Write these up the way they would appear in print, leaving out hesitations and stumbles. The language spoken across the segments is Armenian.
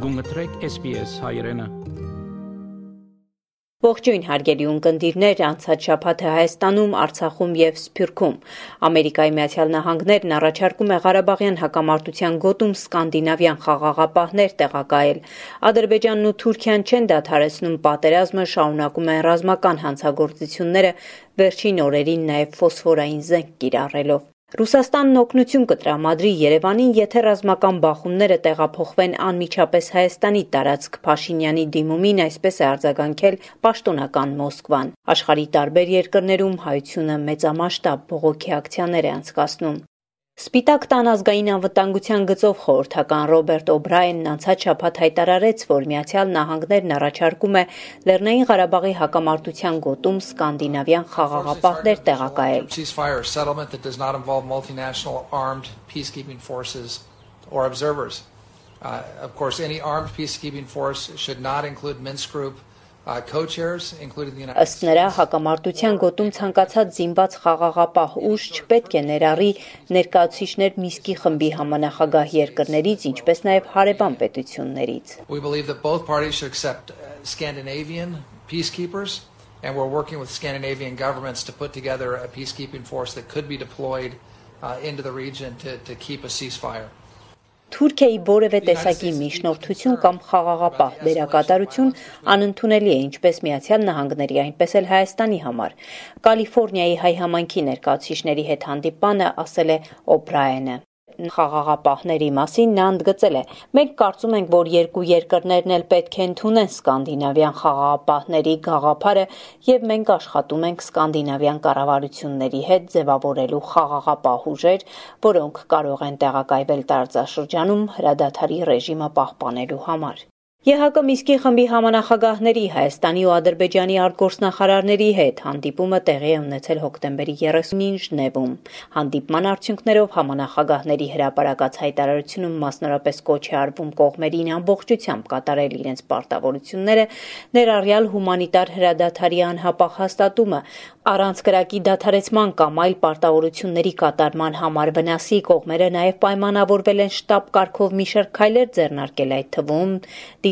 Գունգտրեք SPS հայրենը։ Ողջույն հարգելի ունկնդիրներ, անցած շաբաթը Հայաստանում, Արցախում եւ Սփյուռքում Ամերիկայի Միացյալ Նահանգներն առաջարկում է Ղարաբաղյան հակամարտության գոտում սկանդինավյան խաղաղապահներ տեղակայել։ Ադրբեջանն ու Թուրքիան չեն դադարեցնում պատերազմը, շարունակում են ռազմական հանցագործությունները, վերջին օրերին նաեւ ֆոսֆորային զենք կիրառելով։ Ռուսաստանն օգնություն կտրամադրի Երևանին, եթե ռազմական բախումները տեղափոխվեն անմիջապես Հայաստանի տարածք Փաշինյանի դիմումին, այսպես է արձագանքել պաշտոնական Մոսկվան։ Աշխարհի տարբեր երկրներում հայությունը մեծամասշտաբ բողոքի ակցիաներ է անցկացնում։ Սպիտակ տան ազգային անվտանգության գծով խորհրդական Ռոբերտ Օբրայենն անցած շաբաթ հայտարարեց, որ Միացյալ Նահանգներն առաջարկում է Լեռնային Ղարաբաղի հակամարտության գոտում սկանդինավյան խաղաղապահներ տեղակայել։ Of course, any armed peacekeeping force should not include Minsk Group co-chairs, including the United States. Ըստ նրա, հակամարտության գոտում ցանկացած զինված խաղաղապահ ուժ չպետք է ներառի ներկայացուցիչներ Մինսկի խմբի համանախագահ երկրներից, ինչպես նաև հարևան պետություններից։ We believe that both parties should accept Scandinavian peacekeepers, and we're working with Scandinavian governments to put together a peacekeeping force that could be deployed into the region to keep a ceasefire. Թուրքիայի որևէ տեսակի միջնորդություն կամ խաղաղապահ դերակատարություն անընդունելի է ինչպես Միացյալ Նահանգների, այնպես էլ Հայաստանի համար։ Կալիֆոռնիայի հայ համայնքի ներկայացուցիչների հետ հանդիպանը ասել է Օբրայենը։ Խաղաղապահների մասին նա ընդգծել է. Մենք կարծում ենք, որ երկու երկրներն էլ պետք է ընդունեն սկանդինավյան խաղաղապահների գաղափարը եւ մենք աշխատում ենք սկանդինավյան կառավարությունների հետ ձևավորելու խաղաղապահ ուժեր, որոնք կարող են տեղակայվել տարածաշրջանում հրադադարի ռեժիմը պահպանելու համար։ ԵՀԿ Մինսկի խմբի համանախագահների Հայաստանի ու Ադրբեջանի արտգործնախարարների հետ հանդիպումը տեղի է ունեցել հոկտեմբերի 30-ին Ժնևում։ Հանդիպման արդյունքներով համանախագահների հրապարակած հայտարարությունում մասնորապես կոչ է արվում կողմերին ամբողջությամբ կատարել իրենց պարտավորությունները, ներառյալ հումանիտար հրադադարի անհապաղ հաստատումը, առանց կրակի դադարեցման կամ այլ պարտավորությունների կատարման համար վնասի կողմերը նաև պայմանավորվել են շտաբ կարգով մի շարք քայլեր ձեռնարկել, այդ թվում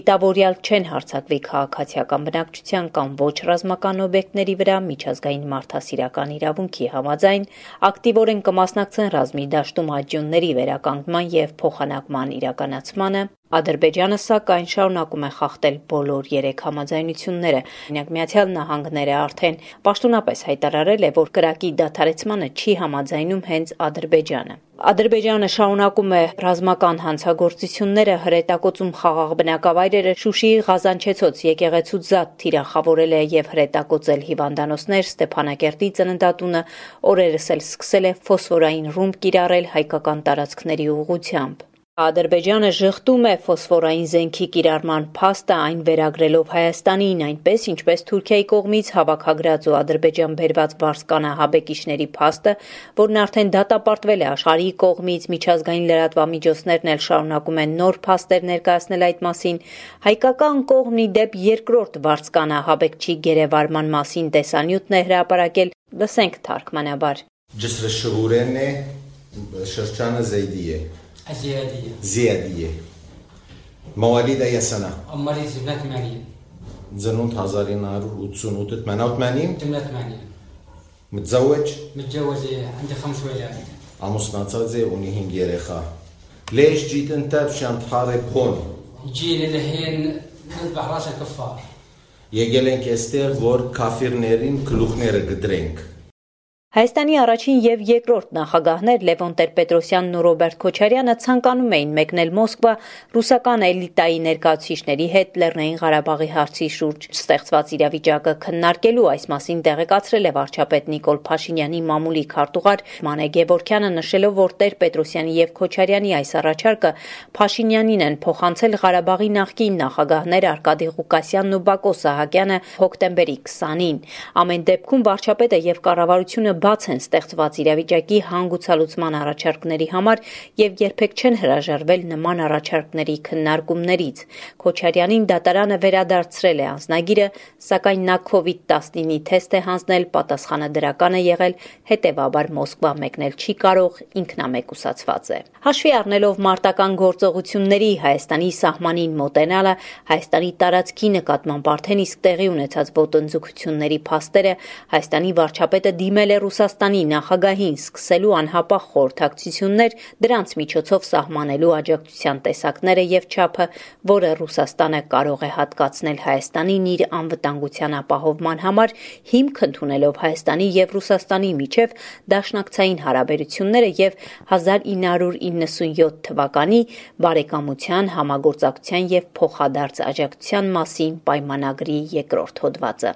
դիտավորյալ չեն հարձակվի քաղաքացիական բնակչության կամ ոչ ռազմական օբյեկտների վրա միջազգային մարդասիրական իրավունքի համաձայն, ակտիվորեն կմասնակցեն ռազմի դաշտում աջյունների վերականգնման եւ փոխանակման իրականացմանը։ Ադրբեջանը սակայն շարունակում է խախտել բոլոր 3 համաձայնությունները։ Օրինակ Միացյալ Նահանգները արդեն պաշտոնապես հայտարարել է, որ կրակի դադարեցմանը չի համաձայնում հենց Ադրբեջանը։ Ադրբեջանը շարունակում է ռազմական հանցագործությունները, հրետակոծում խաղաղ բնակավայրերը, Շուշիի Ղազանչեցոց եկեղեցու զատ թիրախավորել է եւ հրետակոծել հիվանդանոցներ, Ստեփանակերտի ծննդատունը օրերս էլ սկսել է ֆոսֆորային ռումբ կիրառել հայկական տարածքների ուղղությամբ։ Ադրբեջանը ժխտում է ֆոսֆորային զենքի կիրառման փաստը, այն վերագրելով Հայաստանին, այնպես ինչպես Թուրքիայի կողմից հավաքագրած ու Ադրբեջան բերված վարձկանահաբեկիչների փաստը, որն արդեն դատապարտվել է աշխարհի կողմից, միջազգային լրատվամիջոցներն էլ շարունակում են նոր փաստեր ներկայացնել այդ մասին։ Հայկական կողմն ի դեպ երկրորդ վարձկանահաբեկչի գերեվարման մասին տեսանյութն է հրապարակել, լսենք թարգմանաբար։ Ջսրշուրենե շրջանը Զեյդիե زيادية مواليد أي سنة؟ مواليد 88 زنونت 1988 88 88 متزوج؟ متجوز عندي 5 ولاد عموس ناتزي ونيهين جيرخا ليش جيت أنت بشان تحارب هون؟ جيل الحين نذبح راس الكفار يجلن كاستير فور كافر نيرين كلوخ نير قدرينك Հայաստանի առաջին եւ երկրորդ նախագահներ Լևոն Տեր-Պետրոսյանն ու Ռոբերտ Քոչարյանը ցանկանում էին մեկնել Մոսկվա ռուսական էլիտայի ներկայացուցիչների հետ Լեռնային Ղարաբաղի հարցի շուրջ ստեղծված իրավիճակը քննարկելու, այս մասին տեղեկացրել է վարչապետ Նիկոլ Փաշինյանի մամուլի քարտուղար Մանե Գևորքյանը, նշելով, որ Տեր-Պետրոսյանի եւ Քոչարյանի այս առաջարկը Փաշինյանին են փոխանցել Ղարաբաղի նախկին նախագահներ Արկադի Ղուկասյանն ու Բակո Սահակյանը հոկտեմբերի 20-ին։ Ամեն դեպքում վարչապետը եւ կառավարությունը բաց են ստեղծված իրավիճակի հանգուցալուծման առաջարկների համար եւ երբեք չեն հրաժարվել նման առաջարկների քննարկումներից։ Քոչարյանին դատարանը վերադարձրել է անձնագիրը, սակայն նա COVID-19-ի թեստ է հանձնել, պատասխանը դրական է եղել, հետեւաբար Մոսկվա մեկնել չի կարող, ինքնամեկուսացված է։ Հաշվի առնելով մարտական գործողությունների Հայաստանի սահմանին մոտենալը, Հայաստանի տարածքի նկատմամբ արդեն իսկ տեղի ունեցած ոտնձգությունների փաստերը, Հայաստանի վարչապետը դիմել է Ռուսաստանի նախագահին սկսելու անհապաղ խորհրդակցություններ, դրանց միջոցով սահմանելու աջակցության տեսակները եւ չափը, որը Ռուսաստանը կարող է հատկացնել Հայաստանին իր անվտանգության ապահովման համար, հիմք ընդունելով Հայաստանի եւ Ռուսաստանի միջև դաշնակցային հարաբերությունները եւ 1997 թվականի բարեկամության, համագործակցության եւ փոխադարձ աջակցության մասին պայմանագրի երկրորդ հոդվածը։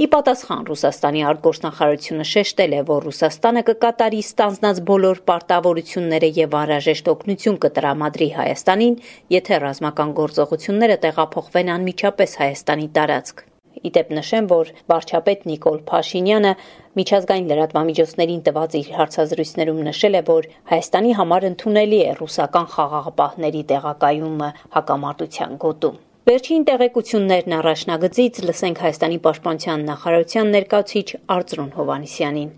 Ի պատասխան Ռուսաստանի արտգործնախարարությունը շեշտել է, որ Ռուսաստանը կկատարի ստանձնած բոլոր պարտավորությունները եւ անհրաժեշտ օգնություն կտրամադրի Հայաստանին, եթե ռազմական գործողությունները տեղափոխվեն անմիջապես Հայաստանի տարածք։ Իդեպ նշեմ, որ վարչապետ Նիկոլ Փաշինյանը միջազգային լրատվամիջոցներին տված իր հարցազրույցներում նշել է, որ Հայաստանի համար ընդունելի է ռուսական խաղաղապահների տեղակայումը հակամարտության գոտում։ Վերջին տեղեկություններն առաջնագծից լսենք Հայաստանի պաշտպանության նախարարության ներկայացուցիչ Արծրուն Հովհաննիսյանին։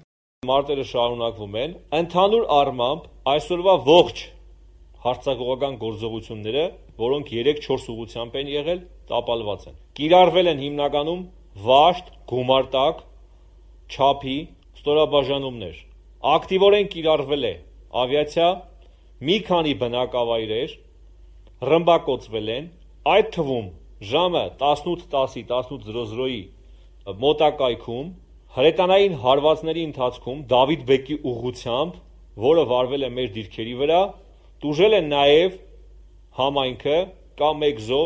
Մարտերը շարունակվում են, ընդհանուր առմամբ այսօրվա ողջ հարձակողական գործողությունները, որոնք 3-4 ուղղությամբ են եղել, տապալված են։ Կիրառվել են հիմնականում վաշտ, գումարտակ, չափի ստորաբաժանումներ։ Ակտիվորեն կիրառվել է ավիացիա, մի քանի բնակավայրեր ռմբակոծվել են, այդ թվում ժամը 18:10-ի 18:00-ի մոտակայքում հրետանային հարվածների ընթացքում Դավիթ բեկի ուղղությամբ, որը վարվել է մեր դիրքերի վրա, տուժել է նաև համայնքը կամ մեկ զո,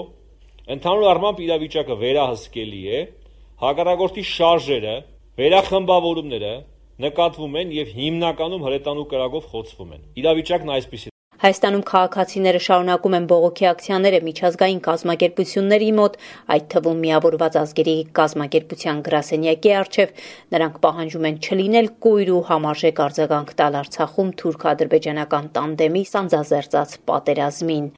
ընդհանուր առմամբ իրավիճակը վերահսկելի է, հակառակորդի շարժերը, վերախմբավորումները նկատվում են եւ հիմնականում հրետանու կրակով խոցվում են։ Իրավիճակն այսպիսի։ Հայաստանում քաղաքացիները շարունակում են բողոքի ակցիաները միջազգային կազմակերպությունների մոտ, այդ թվում Միավորված ազգերի կազմակերպության գրասենյակի առջև, նրանք պահանջում են չլինել կույր ու համարժեք արձագանք տալ Արցախում թուրք-ադրբեջանական տանդեմի սանձազերծած պատերազմին։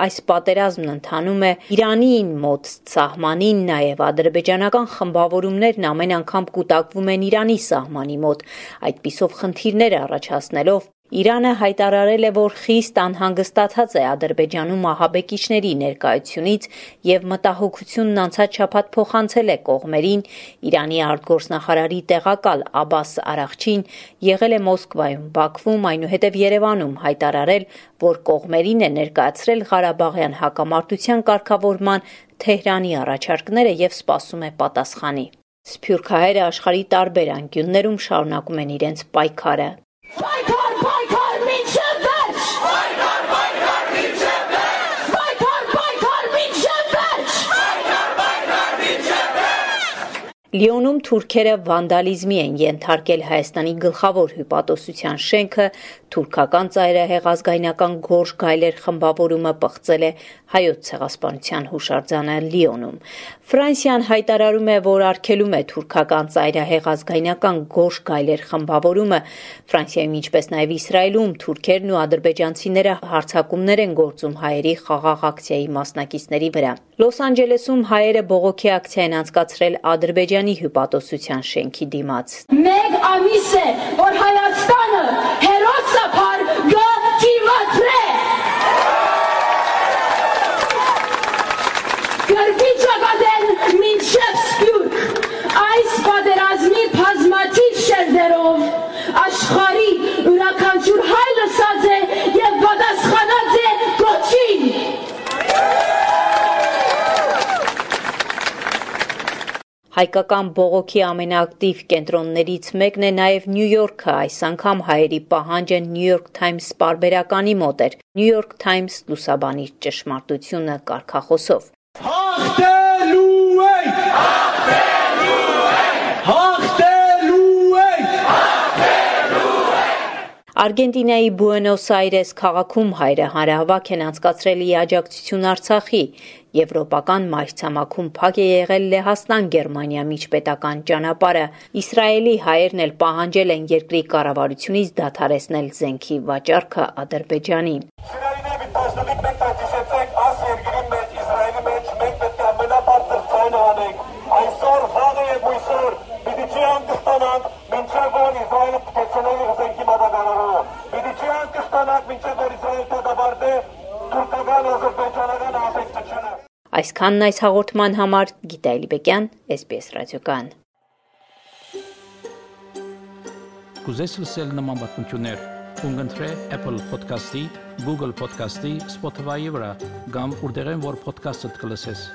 Այս պատերազմն ընթանում է Իրանին մոտ սահմանին, նաև ադրբեջանական խմբավորումներն ամեն անգամ կուտակվում են Իրանի սահմանի մոտ, այդպիսով խնդիրներ առաջացնելով Իրանը հայտարարել է, որ խիստ անհանգստացած է Ադրբեջանում ահաբեկիչների ներկայությունից եւ մտահոգությունն անցած շաբաթ փոխանցել է կողմերին։ Իրանի արտգործնախարարի տեղակալ Աբբաս Արաղչին եղել է Մոսկվայում, Բաքվում, այնուհետև Երևանում հայտարարել, որ կողմերին է ներկայացրել Ղարաբաղյան հակամարտության կարգավորման Թեհրանի առաջարկները եւ սպասում է պատասխանի։ Սփյուռքահայերը աշխարհի տարբեր անկյուններում շարունակում են իրենց պայքարը։ Լիոնում թուրքերը վանդալիզմի են ենթարկել Հայաստանի գլխավոր հյուպատոսության շենքը, թուրքական ծայրահեղ ազգայնական Գորժ Գայլեր խմբավորումը պղծել է Հայոց ցեղասպանության հուշարձանը Լիոնում։ Ֆրանսիան հայտարարում է, որ արգելում է թուրքական ծայրահեղ ազգայնական Գորժ Գայլեր խմբավորումը։ Ֆրանսիայում, ինչպես նաև Իսրայելում, թուրքերն ու ադրբեջանցիները հարձակումներ են գործում հայերի խաղաղ ակցիայի մասնակիցների վրա։ Լոս Անջելեսում հայերը բողոքի ակցիա են անցկացրել Ադրբեջանի հյուպատոսության շենքի դիմաց։ Մեկ ամիս է, որ Հայաստանը հերոսապար գտիմատրե։ Գրվի ճակատեն մինչև Սփյուռք, այս պատերազմի բազմաթիվ շերտերով աշխարհի յուրաքանչյուր հայ լսած է եւ պատասխանած է գոչին։ Հայկական բողոքի ամենաակտիվ կենտրոններից մեկն է նաև Նյու Յորքը, այս անգամ հայերի պահանջը New York Times պարբերականի մոտ էր։ New York Times լուսաբանի ճշմարտությունը կարգախոսով։ Հաղթելու ենք! Հաղթելու ենք! Հաղթելու ենք! Արգենտինայի Բուենոս Այրես քաղաքում հայրը հանրահավաք են անցկացրել ի աջակցություն Արցախի։ Եվրոպական մայրցամաքում փակ է եղել Լեհաստան-Գերմանիա միջպետական ճանապարհը։ Իսրայելի հայերն էլ պահանջել են երկրի կառավարությունից դադարեցնել զենքի վաճառքը Ադրբեջանին։ Այսքանն այս հաղորդման համար Գիտա Էլիբեկյան, SBS ռադիոկան։ Կուզես լսել նման բանություններ, կընտրե Apple Podcast-ի, Google Podcast-ի, Spotify-ի վրա, կամ որտեղեն որ podcast-ը կլսես։